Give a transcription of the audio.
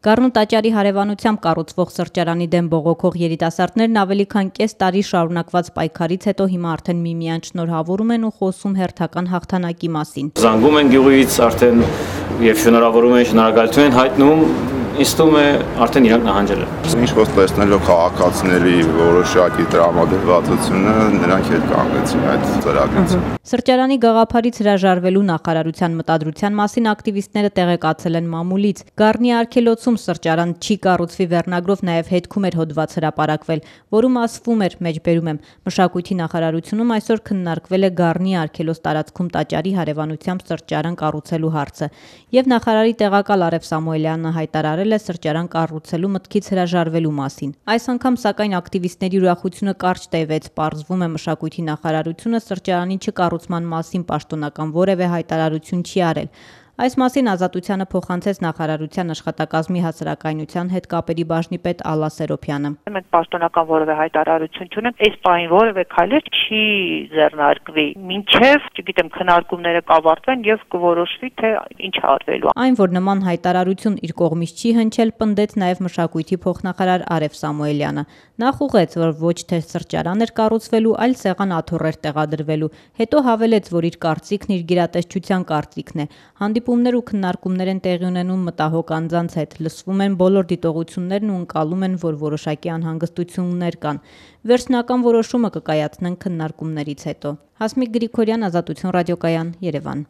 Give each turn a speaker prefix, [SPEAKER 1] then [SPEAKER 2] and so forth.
[SPEAKER 1] Գառնու տաճարի հարևանությամբ կառուցվող սրճարանի դեմ բողոքող երիտասարդներն ավելի քան կես տարի շարունակված պայքարից հետո հիմա արդեն միմյանց շնորհավորում են ու խոսում հերթական հաղթանակի մասին։
[SPEAKER 2] Զանգում են գյուղից արդեն եւ շնորհավորում են, շնորհակալություն են հայտնում, ինձ թվում է արդեն իրանք նահանջել են։
[SPEAKER 3] Ինչ խոսք տեսնելով քաղաքացիների որոշակի տրամադրվածությունը, նրանք հետ կանգնեցին այդ ծրագրից։
[SPEAKER 1] Սրճարանի գաղափարից հրաժարվելու նախարարության մտադրության մասին ակտիվիստները տեղեկացել են մամուլից։ Գառնի արգելոցում սրճարան չի կառուցվի վերնագրով նաև հետքում էր հոդված հրապարակվել, որում ասվում էր, մեջբերում եմ, մշակույթի նախարարությունում այսօր քննարկվել է Գառնի արգելոց տարածքում տաճարի հարևանությամբ սրճարան կառուցելու հարցը, եւ նախարարի տեղակալ Արև Սամուելյանը հայտարարել է սրճարան կառուցելու մտքից հրաժարվելու մասին։ Այս անգամ սակայն ակտիվիստների ուրախությունը կարճ տևեց, պարզվում է մշակույթի նախարարությունը սրճարանի չկառուցման մասին պաշտոնական որևէ հայտարարություն չի արել։ Այս մասին Ազատությանը փոխանցեց նախարարության աշխատակազմի հասարակայնության հետ կապերի բաժնի պետ Ալլա Սերոփյանը։
[SPEAKER 4] Մենք պաշտոնական որևէ հայտարարություն չունենք, այս պահին որևէ քայլ չի ձեռնարկվի, մինչև, չգիտեմ, քննարկումները կավարտվեն եւ կորոշվի, թե ինչ արվելու։
[SPEAKER 1] Այն, որ նման հայտարարություն իր կողմից չի հնչել, պնդեց նաև մշակույթի փոխնախարար Արև Սամուելյանը։ Նա խուղեց, որ ոչ թե սրճարան էր կառուցվելու, այլ սեղան աթոռեր տեղադրվելու։ Հետո հավելեց, որ իր կարծիքն իր գերատեսչության կարծիքն է։ Հանդիպումներ ու քննարկումներ են տեղի ունենում մտահոգ անձանց հետ, լսվում են բոլոր դիտողություններն ու ընկալում են, որ որոշակի անհանգստություններ կան։ Վերջնական որոշումը կկայացնեն քննարկումներից հետո։ Հասմիկ Գրիգորյան, Ազատություն ռադիոկայան, Երևան։